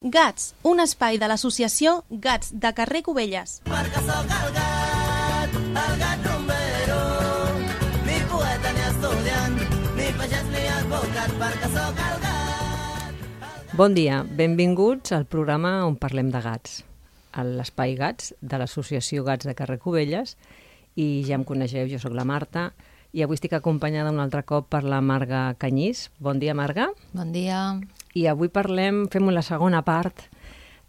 Gats, un espai de l'associació Gats de carrer Cubelles. Perquè sóc el gat rumbero, ni poeta ni estudiant, ni pagès ni advocat, perquè sóc el gat. Bon dia, benvinguts al programa on parlem de gats, a l'espai Gats de l'associació Gats de carrer Cubelles, i ja em coneixeu, jo sóc la Marta, i avui estic acompanyada un altre cop per la Marga Canyís. Bon dia, Marga. Bon dia. I avui fem la segona part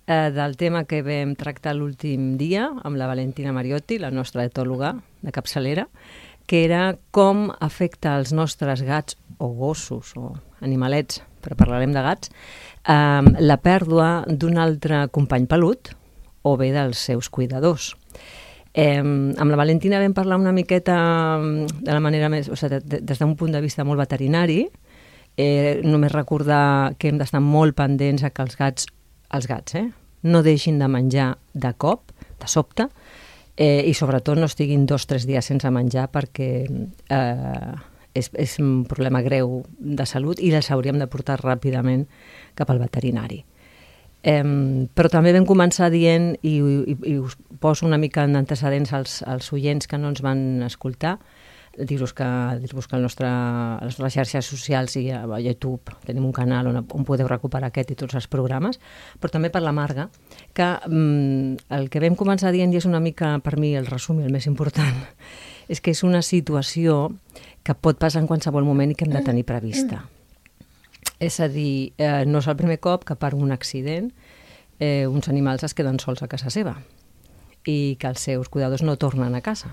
del tema que vam tractar l'últim dia amb la Valentina Mariotti, la nostra etòloga de capçalera, que era com afecta als nostres gats o gossos o animalets, però parlarem de gats, la pèrdua d'un altre company pelut o bé dels seus cuidadors. Amb la Valentina vam parlar una miqueta de la manera més, o sigui, des d'un punt de vista molt veterinari, només recordar que hem d'estar molt pendents que els gats no deixin de menjar de cop, de sobte, i sobretot no estiguin 2 o 3 dies sense menjar perquè és un problema greu de salut i els hauríem de portar ràpidament cap al veterinari. Però també vam començar dient, i us poso una mica en antecedents als oients que no ens van escoltar, dir-vos que a les nostres xarxes socials i a YouTube tenim un canal on podeu recuperar aquest i tots els programes, però també per la Marga, que el que vam començar dient, i és una mica per mi el resum i el més important, és que és una situació que pot passar en qualsevol moment i que hem de tenir prevista. És a dir, no és el primer cop que per un accident uns animals es queden sols a casa seva i que els seus cuidadors no tornen a casa.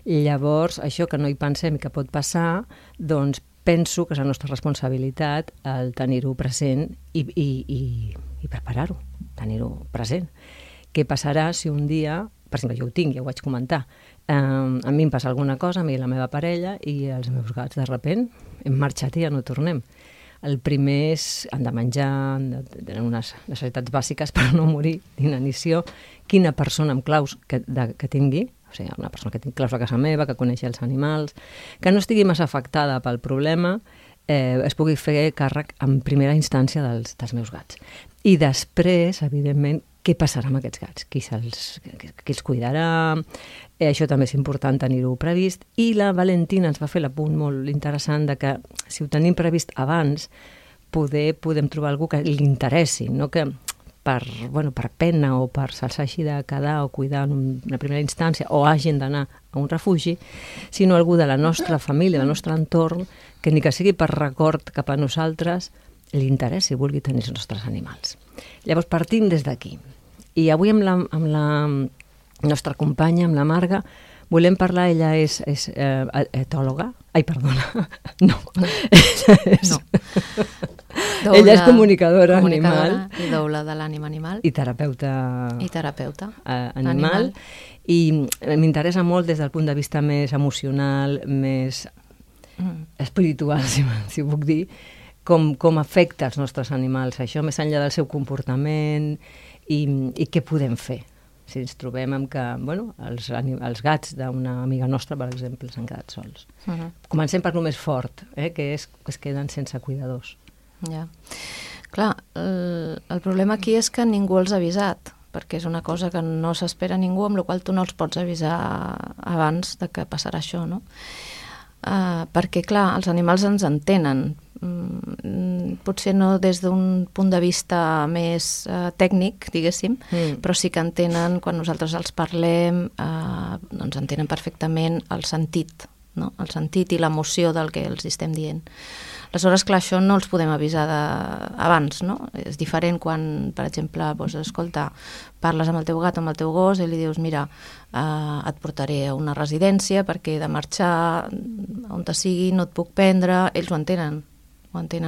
Llavors, això que no hi pensem i que pot passar, doncs penso que és la nostra responsabilitat el tenir-ho present i preparar-ho, tenir-ho present. Què passarà si un dia, per exemple, jo ho tinc, ja ho vaig comentar, a mi em passa alguna cosa, a mi i la meva parella, i els meus gats de sobte hem marxat i ja no tornem. El primer és, han de menjar, tenen unes necessitats bàsiques per no morir d'inanició. Quina persona amb claus que tingui, o sigui, una persona que tingui claus a casa meva, que coneixi els animals, que no estigui massa afectada pel problema, es pugui fer càrrec en primera instància dels meus gats. I després, evidentment, què passarà amb aquests gats? Qui els cuidarà? Això també és important tenir-ho previst. I la Valentina ens va fer l'apunt molt interessant de que si ho tenim previst abans, podem trobar algú que li interessi, no que per pena o per se'ls hagi de quedar o cuidar en una primera instància o hagin d'anar a un refugi, sinó algú de la nostra família, del nostre entorn, que ni que sigui per record cap a nosaltres, li interessi i vulgui tenir els nostres animals. Llavors partim des d'aquí. I avui amb la nostra companya, amb la Marga, volem parlar, ella és etòloga. Ai, perdona, no. Ella és comunicadora animal. I doula de l'ànima animal. I terapeuta. Animal. I m'interessa molt des del punt de vista més emocional, més espiritual, si puc dir, com afecta els nostres animals això, més enllà del seu comportament i què podem fer si ens trobem amb que els gats d'una amiga nostra, per exemple, s'han quedat sols. Comencem per lo més fort, que és que es queden sense cuidadors. Ja. Clar, el problema aquí és que ningú els ha avisat, perquè és una cosa que no s'espera ningú, amb la qual tu no els pots avisar abans de que passarà això, no? Perquè, clar, els animals ens entenen, potser no des d'un punt de vista més tècnic, diguéssim, però sí que entenen, quan nosaltres els parlem, doncs entenen perfectament el sentit, no? El sentit i l'emoció del que els estem dient. Aleshores, clar, això no els podem avisar abans, no? És diferent quan, per exemple, escolta, parles amb el teu gat o amb el teu gos i li dius, mira, et portaré a una residència perquè he de marxar on te sigui, no et puc prendre, ells ho entenen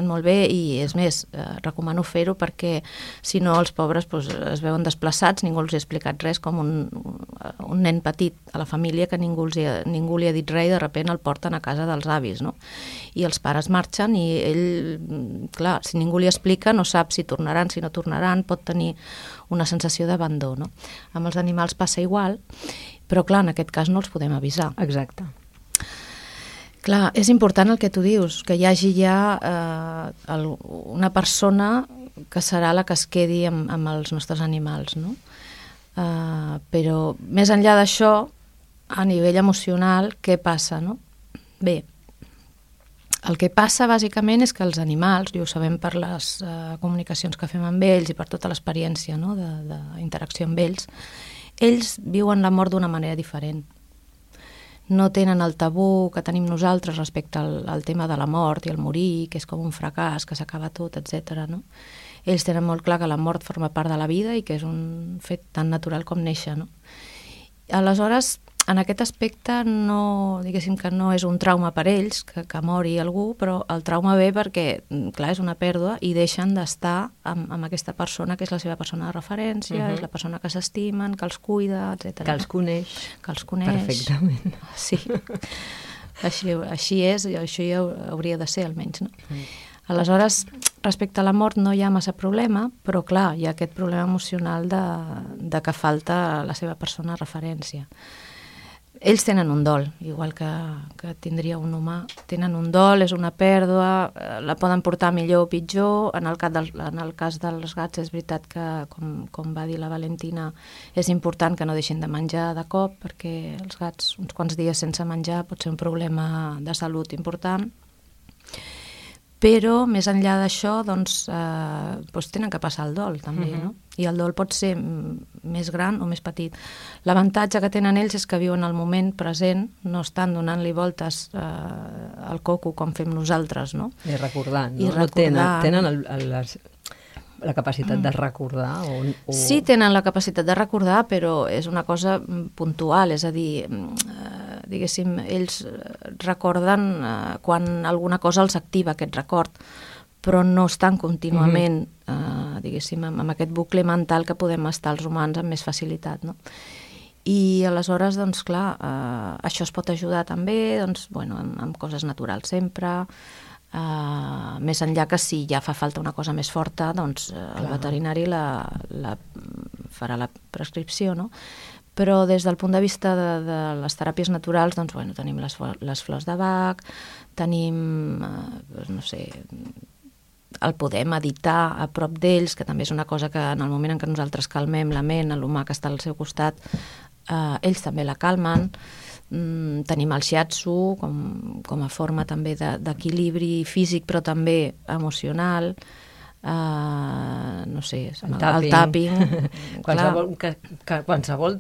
molt bé i, és més, recomano fer-ho perquè si no els pobres es veuen desplaçats, ningú els ha explicat res, com un nen petit a la família que ningú li ha dit res i de sobte el porten a casa dels avis, no? I els pares marxen i ell, clar, si ningú li explica no sap si tornaran, si no tornaran, pot tenir una sensació d'abandó, no? Amb els animals passa igual, però clar, en aquest cas no els podem avisar. Exacte. Clar, és important el que tu dius, que hi hagi ja una persona que serà la que es quedi amb els nostres animals, no? Però més enllà d'això, a nivell emocional, què passa, no? Bé, el que passa bàsicament és que els animals, i ho sabem per les comunicacions que fem amb ells i per tota l'experiència, no? d'interacció amb ells viuen la mort d'una manera diferent. No tenen el tabú que tenim nosaltres respecte al tema de la mort i el morir, que és com un fracàs, que s'acaba tot, etc. No? Ells tenen molt clar que la mort forma part de la vida i que és un fet tan natural com néixer. No? Aleshores, en aquest aspecte, diguéssim que no és un trauma per ells, que mori algú, però el trauma ve perquè, clar, és una pèrdua i deixen d'estar amb aquesta persona que és la seva persona de referència, és la persona que s'estimen, que els cuida, etc. Que els coneix. Que els coneix. Perfectament. Sí. Així és, i això ja hauria de ser, almenys, no? Aleshores, respecte a la mort no hi ha massa problema, però clar, hi ha aquest problema emocional de que falta la seva persona de referència. Ells tenen un dol, igual que tindria un humà. Tenen un dol, és una pèrdua, la poden portar millor o pitjor. En el cas dels gats és veritat que, com va dir la Valentina, és important que no deixin de menjar de cop, perquè els gats uns quants dies sense menjar pot ser un problema de salut important. Però, més enllà d'això, doncs tenen que passar el dol, també, no? I el dol pot ser més gran o més petit. L'avantatge que tenen ells és que viuen el moment present, no estan donant-li voltes al coco com fem nosaltres, no? I recordant, no? I recordant. Tenen la capacitat de recordar? Sí, tenen la capacitat de recordar, però és una cosa puntual, és a dir, diguéssim, ells recorden quan alguna cosa els activa aquest record, però no estan contínuament, diguéssim, amb aquest bucle mental que podem estar els humans amb més facilitat, no? I aleshores, doncs clar, això es pot ajudar també, doncs, bueno, amb coses naturals sempre, més enllà que si ja fa falta una cosa més forta, doncs el veterinari farà la prescripció, no? Però des del punt de vista de les teràpies naturals, doncs, bueno, tenim les flors de Bach, tenim, no sé, el poder meditar a prop d'ells, que també és una cosa que en el moment en què nosaltres calmem la ment, l'humà que està al seu costat, ells també la calmen. Tenim el shiatsu com a forma també d'equilibri físic, però també emocional. No sé, el tapping. Qualsevol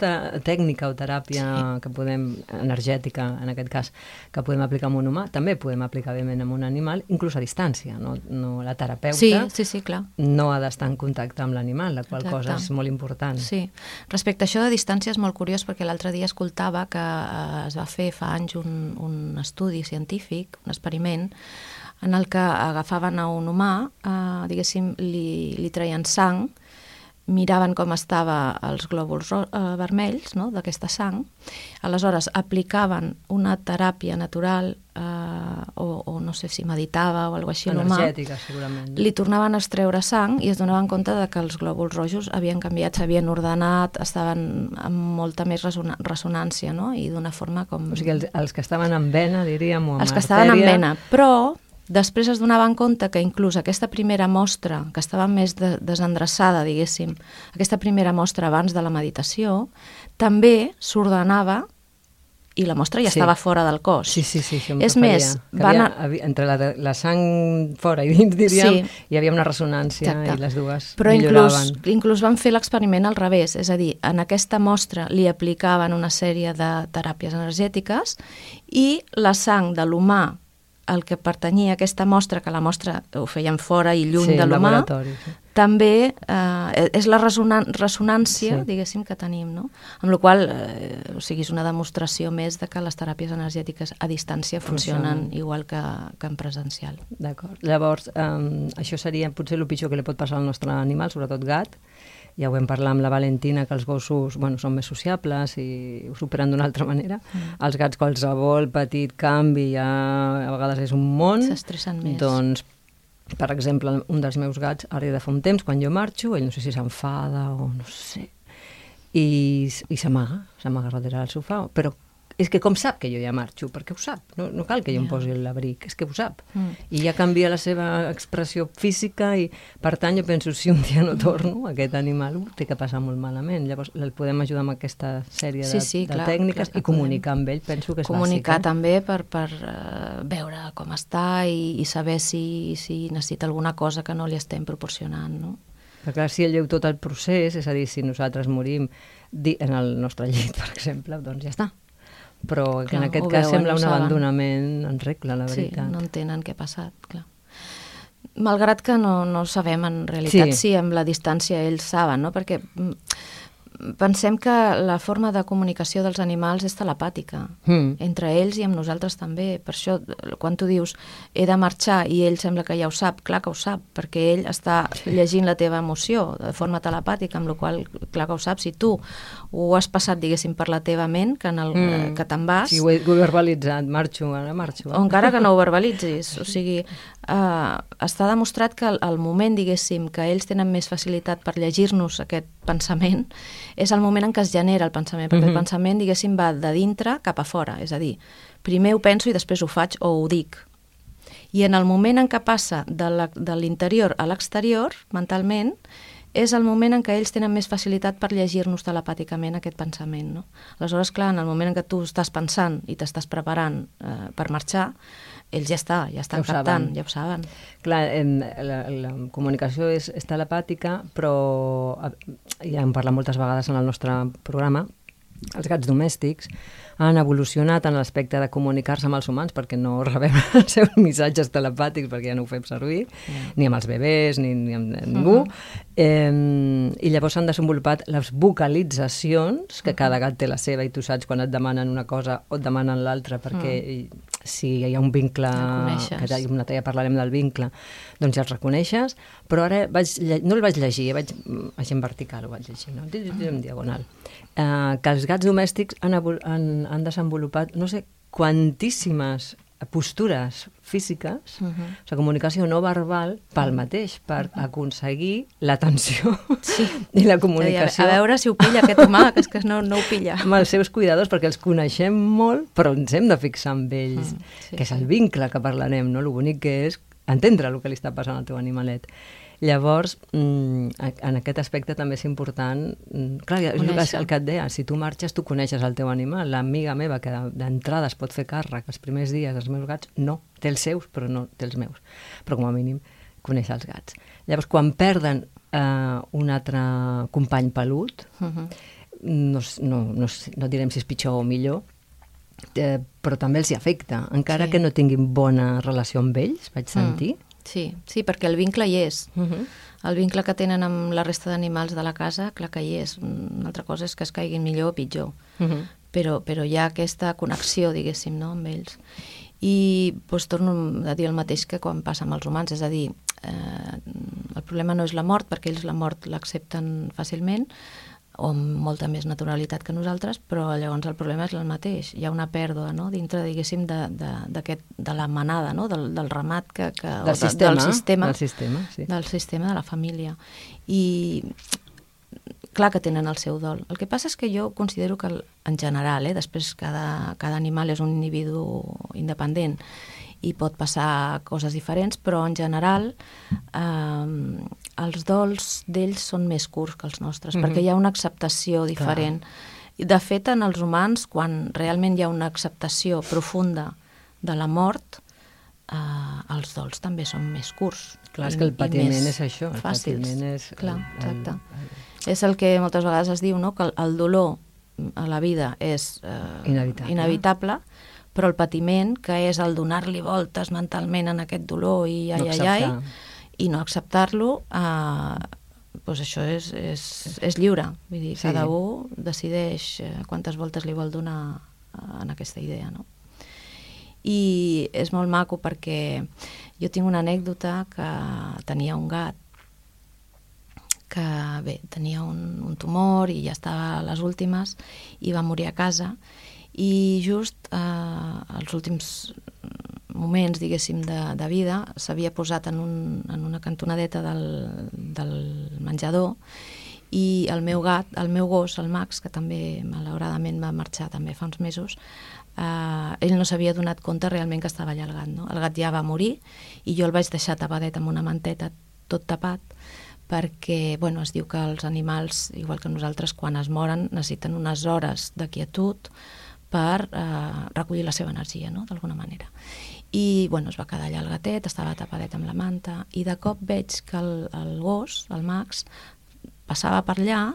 tècnica o teràpia que podem, energètica en aquest cas, que podem aplicar amb un humà, també podem aplicar bément amb un animal, inclús a distància. La terapeuta clar. No ha d'estar en contacte amb l'animal, la qual cosa és molt important. Sí. Respecte a això de distància és molt curiós, perquè l'altre dia escoltava que es va fer fa anys un estudi científic, un experiment, en el que agafaven a un humà, diguéssim, li traien sang, miraven com estava els glòbuls vermells, no?, d'aquesta sang, aleshores aplicaven una teràpia natural o no sé si meditava o alguna cosa així a l'humà, energètica, segurament. Li tornaven a extreure sang i es donaven compte de que els glòbuls rojos havien canviat, s'havien ordenat, estaven amb molta més ressonància, no?, i d'una forma com... O sigui, els que estaven en vena, diríem, o en artèria... Els que estaven en vena, però... Després es donaven compte que inclús aquesta primera mostra, que estava més desendreçada, diguéssim, aquesta primera mostra abans de la meditació, també s'ordenava i la mostra ja estava fora del cos. Sí, és més, entre la sang fora i dins, diríem, hi havia una ressonància i les dues milloraven. Però inclús van fer l'experiment al revés, és a dir, en aquesta mostra li aplicaven una sèrie de teràpies energètiques i la sang de l'humà, el que pertanyia a aquesta mostra, que la mostra ho feien fora i lluny de l'humà, també és la ressonància, diguéssim, que tenim, no? Amb la qual cosa, és una demostració més de que les teràpies energètiques a distància funcionen igual que en presencial. D'acord. Llavors, això seria potser el pitjor que li pot passar al nostre animal, sobretot gat. Ja ho vam parlar amb la Valentina, que els gossos són més sociables i ho superen d'una altra manera. Els gats, qualsevol petit canvi, ja a vegades és un món. S'estressen més. Doncs, per exemple, un dels meus gats, ara de fa un temps, quan jo marxo, ell no sé si s'enfada o no sé, i s'amaga darrere del sofà, però és que com sap que jo ja marxo? Perquè ho sap, no cal que jo em posi l'abric, és que ho sap. I ja canvia la seva expressió física i, per tant, jo penso, si un dia no torno, aquest animal ho té que passar molt malament. Llavors, el podem ajudar amb aquesta sèrie de tècniques i comunicar amb ell, penso que és comunicar bàsic. També per veure com està i saber si necessita alguna cosa que no li estem proporcionant, no? Però clar, si ell veu tot el procés, és a dir, si nosaltres morim en el nostre llit, per exemple, doncs ja està. Però que en aquest cas sembla un abandonament en regla, la veritat. Sí, no entenen què ha passat, clar. Malgrat que no sabem en realitat si amb la distància ells saben, no? Perquè pensem que la forma de comunicació dels animals és telepàtica, entre ells i amb nosaltres també. Per això, quan tu dius he de marxar i ell sembla que ja ho sap, clar que ho sap, perquè ell està llegint la teva emoció de forma telepàtica, amb la qual clar que ho sap. Si tu ho has passat, diguéssim, per la teva ment, que te'n vas... Si ho he verbalitzat, ara marxo. O encara que no ho verbalitzis. O sigui, està demostrat que al moment, diguéssim, que ells tenen més facilitat per llegir-nos aquest pensament, és el moment en què es genera el pensament, perquè el pensament, diguéssim, va de dintre cap a fora, és a dir, primer ho penso i després ho faig o ho dic. I en el moment en què passa de l'interior a l'exterior, mentalment, és el moment en què ells tenen més facilitat per llegir-nos telepàticament aquest pensament, no? Aleshores, clar, en el moment en què tu estàs pensant i t'estàs preparant per marxar, ells ja estan captant, ja ho saben. Clar, la comunicació és telepàtica, però ja hem parlat moltes vegades en el nostre programa, els gats domèstics han evolucionat en l'aspecte de comunicar-se amb els humans perquè no rebem els seus missatges telepàtics perquè ja no ho fem servir, ni amb els bebès, ni amb ningú. I llavors s'han desenvolupat les vocalitzacions, que cada gat té la seva i tu saps quan et demanen una cosa o et demanen l'altra, perquè si hi ha un vincle, que un altre dia parlarem del vincle, doncs ja els reconeixes, però ara no el vaig llegir, vaig en vertical, ho vaig llegir, no? En diagonal. Que els gats domèstics han desenvolupat, no sé, quantíssimes postures físiques, la comunicació no verbal, pel mateix, per aconseguir l'atenció i la comunicació. A veure si ho pilla aquest home, que és que no ho pilla. Amb els seus cuidadors, perquè els coneixem molt, però ens hem de fixar en ells, que és el vincle que parlarem, no? Lo bonic que és entendre el que li està passant al teu animalet. Llavors, en aquest aspecte també és important... Clar, el que et deia, si tu marxes, tu coneixes el teu animal. L'amiga meva, que d'entrada es pot fer càrrec els primers dies dels meus gats, no, té els seus, però no té els meus. Però com a mínim coneix els gats. Llavors, quan perden un altre company pelut, no direm si és pitjor o millor, però també els hi afecta, encara que no tinguin bona relació amb ells, vaig sentir. Sí, perquè el vincle hi és. El vincle que tenen amb la resta d'animals de la casa, clar que hi és. Una altra cosa és que es caiguin millor o pitjor. Però hi ha aquesta connexió, diguéssim, no?, amb ells. I torno a dir el mateix que quan passa amb els humans, és a dir, el problema no és la mort, perquè ells la mort l'accepten fàcilment, o amb molta més naturalitat que nosaltres, però llavors el problema és el mateix. Hi ha una pèrdua, no?, dintre, diguéssim, de la manada, no?, del ramat del sistema, de la família. I clar que tenen el seu dol. El que passa és que jo considero que, en general, després cada animal és un individu independent i pot passar coses diferents, però en general els dols d'ells són més curts que els nostres, perquè hi ha una acceptació diferent. De fet, en els humans, quan realment hi ha una acceptació profunda de la mort, els dols també són més curts. Clar, és que el patiment és això. El patiment és... Clar, exacte. És el que moltes vegades es diu, no?, que el dolor a la vida és inevitable, però el patiment, que és el donar-li voltes mentalment en aquest dolor i i no acceptar-lo, doncs això és lliure. Vull dir, cada un decideix quantes voltes li vol donar en aquesta idea, no? I és molt maco perquè jo tinc una anècdota que tenia un gat que, bé, tenia un tumor i ja estava a les últimes i va morir a casa. I just als últims moments, diguéssim, de vida, s'havia posat en una cantonadeta del menjador I el meu gos, el Max, que també malauradament va marxar també fa uns mesos, ell no s'havia donat compte realment que estava allà el gat, no? El gat ja va morir i jo el vaig deixar tapadet amb una manteta, tot tapat, perquè es diu que els animals, igual que nosaltres, quan es moren necessiten unes hores de quietud per recollir la seva energia, no? D'alguna manera. I es va quedar allà el gatet, estava tapadet amb la manta, i de cop veig que el gos, el Max, passava per allà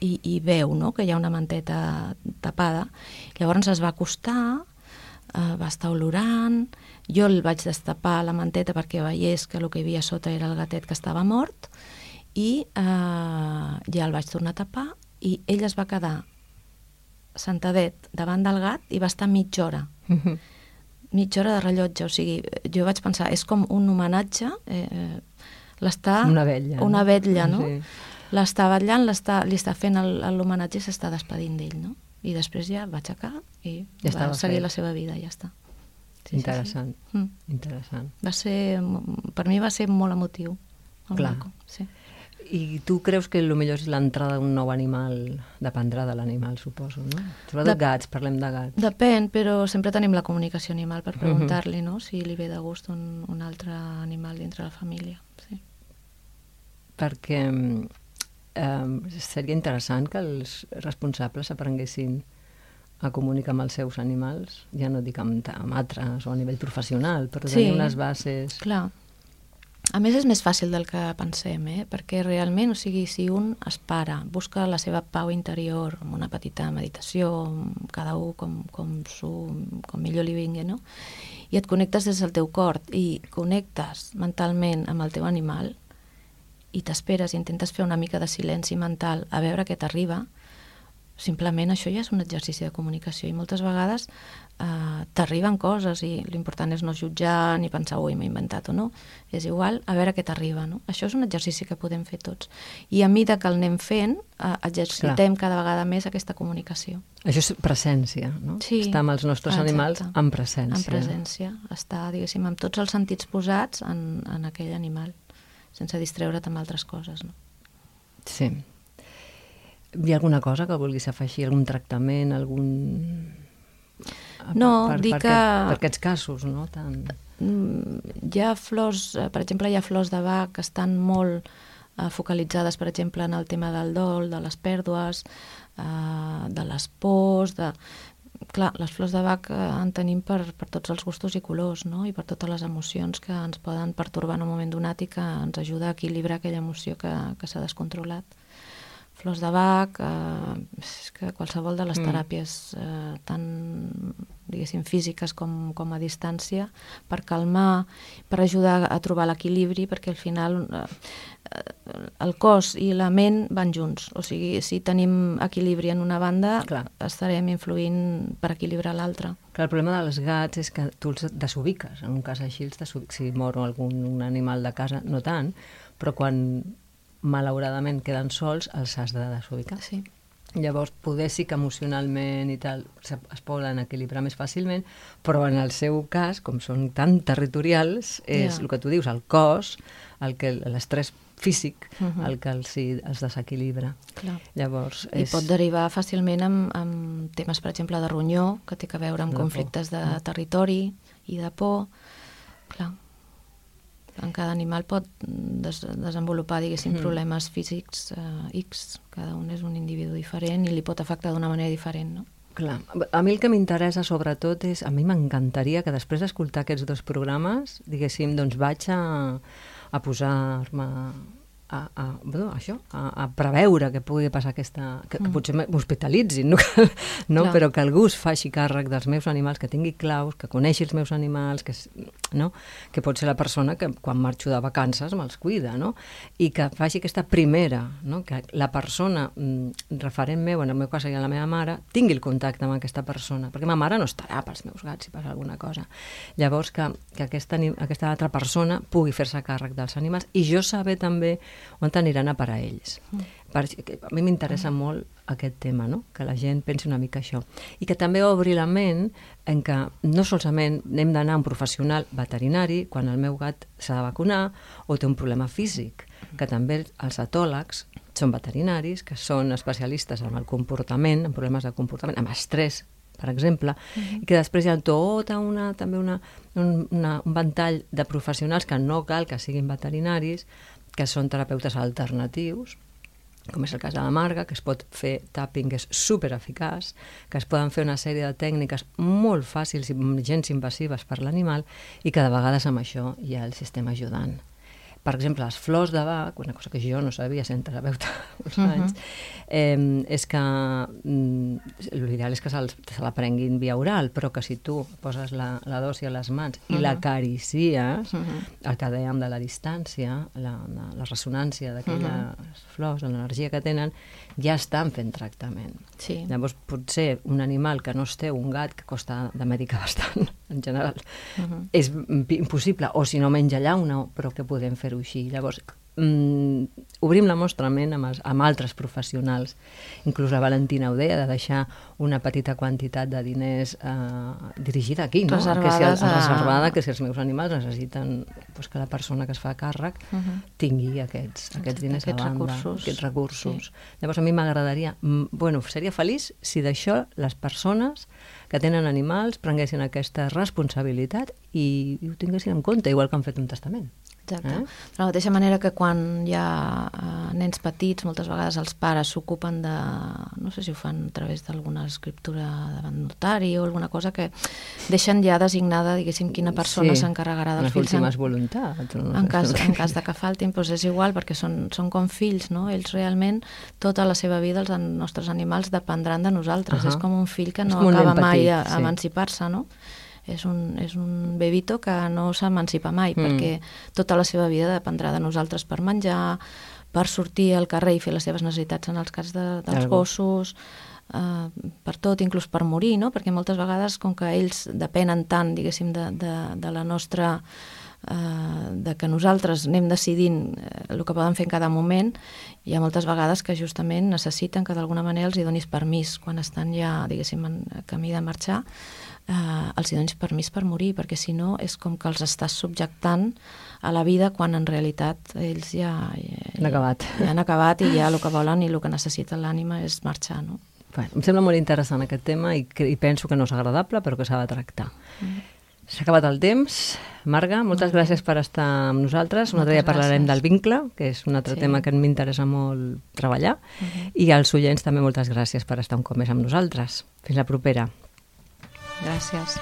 i veu, no?, que hi ha una manteta tapada. Llavors es va acostar, va estar olorant, jo el vaig destapar la manteta perquè veiés que el que hi havia sota era el gatet que estava mort, i ja el vaig tornar a tapar, i ell es va quedar sentadet davant del gat i va estar mitja hora. Mitja hora de rellotge, o sigui, jo vaig pensar, és com un homenatge, una vetlla, una vetlla, no? Sí. L'està vetllant, li està fent l'homenatge i s'està despedint d'ell, no? I després ja va aixecar i va seguir la seva vida, i ja està. Interessant, interessant. Per mi va ser molt emotiu. Clar. Sí. I tu creus que el millor és l'entrada d'un nou animal? Dependrà de l'animal, suposo, no? Sobretot gats, parlem de gats. Depèn, però sempre tenim la comunicació animal per preguntar-li, no?, si li ve de gust un altre animal dintre la família. Sí. Perquè seria interessant que els responsables aprenguessin a comunicar amb els seus animals, ja no dic amb altres o a nivell professional, però tenir unes bases... Clar. A més, és més fàcil del que pensem, perquè realment, o sigui, si un es para, busca la seva pau interior amb una petita meditació, cada un com millor li vingui, no? I et connectes des del teu cor i connectes mentalment amb el teu animal i t'esperes i intentes fer una mica de silenci mental a veure què t'arriba, simplement això ja és un exercici de comunicació, i moltes vegades t'arriben coses i l'important és no jutjar ni pensar, ui, m'he inventat o no, és igual, a veure què t'arriba, no? Això és un exercici que podem fer tots, i a mesura que el anem fent exercitem cada vegada més aquesta comunicació. Això és presència, no? Sí. Estar amb els nostres animals en presència. En presència, estar, diguéssim, amb tots els sentits posats en aquell animal, sense distreure't amb altres coses, no? Sí. Hi ha alguna cosa que vulguis afegir? Algun tractament? No, dir que... Per aquests casos, no? Hi ha flors, per exemple, hi ha flors de Bach que estan molt focalitzades, per exemple, en el tema del dol, de les pèrdues, de les pors, Clar, les flors de Bach en tenim per tots els gustos i colors, no? I per totes les emocions que ens poden pertorbar en un moment donat i que ens ajuda a equilibrar aquella emoció que s'ha descontrolat. Flors de Bach, és que qualsevol de les teràpies tant, diguéssim, físiques com a distància, per calmar, per ajudar a trobar l'equilibri, perquè al final el cos i la ment van junts. O sigui, si tenim equilibri en una banda, estarem influint per equilibrar l'altra. Clar, el problema dels gats és que tu els desubiques. En un cas així els desubiques. Si mor un animal de casa, no tant, però quan malauradament queden sols, els has de desubicar. Sí. Llavors, poder sí que emocionalment i tal es poden equilibrar més fàcilment, però en el seu cas, com són tan territorials, és el que tu dius, el cos, l'estrès físic, el que els desequilibra. Clar. Llavors, I pot derivar fàcilment amb temes, per exemple, de ronyó, que té a veure amb conflictes de territori i de por. Clar. En cada animal pot desenvolupar, diguéssim, problemes físics X. Cada un és un individu diferent i li pot afectar d'una manera diferent, no? Clar. A mi el que m'interessa sobretot és... A mi m'encantaria que després d'escoltar aquests dos programes, diguéssim, doncs vaig a posar-me a preveure que pugui passar aquesta... que potser m'hospitalitzin, no? Però que algú es faci càrrec dels meus animals, que tingui claus, que coneixi els meus animals, que pot ser la persona que quan marxo de vacances me'ls cuida, no? I que faci aquesta primera, no? Que la persona referent meu, en el meu cas seria la meva mare, tingui el contacte amb aquesta persona, perquè ma mare no estarà pels meus gats si passa alguna cosa. Llavors que aquesta altra persona pugui fer-se càrrec dels animals i jo saber també on aniran a parar ells. A mi m'interessa molt aquest tema, no? Que la gent pensi una mica això. I que també obri la ment en què no solament hem d'anar a un professional veterinari quan el meu gat s'ha de vacunar o té un problema físic, que també els etòlegs són veterinaris, que són especialistes en el comportament, en problemes de comportament, amb estrès, per exemple, i que després hi ha tota un ventall de professionals que no cal que siguin veterinaris, que són terapeutes alternatius, com és el cas de la Marga, que es pot fer tapping, que és supereficaç, que es poden fer una sèrie de tècniques molt fàcils i gens invasives per l'animal i que de vegades amb això hi ha el sistema ajudant. Per exemple, les flors de Bach, una cosa que jo no sabia sent terapeuta uns anys, és que l'ideal és que se la prenguin via oral, però que si tu poses la dosi a les mans i l'acaricies, el que dèiem de la distància, la ressonància d'aquelles flors, l'energia que tenen, ja estan fent tractament. Sí. Llavors, potser un animal que no es té, un gat que costa de medicar bastant, en general, és impossible, o si no menja llauna, però que podem fer-ho així. Llavors, obrim la nostra ment amb altres professionals. Inclús la Valentina ho deia, de deixar una petita quantitat de diners dirigida aquí, no? Reservada, que si els meus animals necessiten que la persona que es fa càrrec tingui aquests diners a banda, aquests recursos. Llavors, a mi m'agradaria, seria feliç si d'això les persones que tenen animals prenguessin aquesta responsabilitat i ho tinguessin en compte, igual que han fet un testament. Exacte. De la mateixa manera que quan hi ha nens petits, moltes vegades els pares s'ocupen de, no sé si ho fan a través d'alguna escriptura davant notari o alguna cosa, que deixen ja designada, diguéssim, quina persona s'encarregarà dels fills. Les últimes voluntats. En cas de que faltin, doncs és igual, perquè són com fills, no? Ells realment, tota la seva vida, els nostres animals dependran de nosaltres. És com un fill que no acaba mai d'emancipar-se, no? És un bebito que no s'emancipa mai, perquè tota la seva vida dependrà de nosaltres per menjar, per sortir al carrer i fer les seves necessitats en els cas dels gossos, per tot, inclús per morir, no? Perquè moltes vegades, com que ells depenen tant, diguéssim, de la nostra... de que nosaltres anem decidint el que poden fer en cada moment, hi ha moltes vegades que justament necessiten que d'alguna manera els hi donis permís, quan estan ja, diguéssim, en camí de marxar, els hi donis permís per morir, perquè si no és com que els estàs subjectant a la vida quan en realitat ells ja han acabat i ja el que volen i el que necessita l'ànima és marxar, no? Em sembla molt interessant aquest tema i penso que no és agradable, però que s'ha de tractar. S'ha acabat el temps. Marga, moltes gràcies per estar amb nosaltres. Un altre dia parlarem del vincle, que és un altre tema que m'interessa molt treballar. I als oients també moltes gràcies per estar un cop més amb nosaltres. Fins la propera. Gràcies.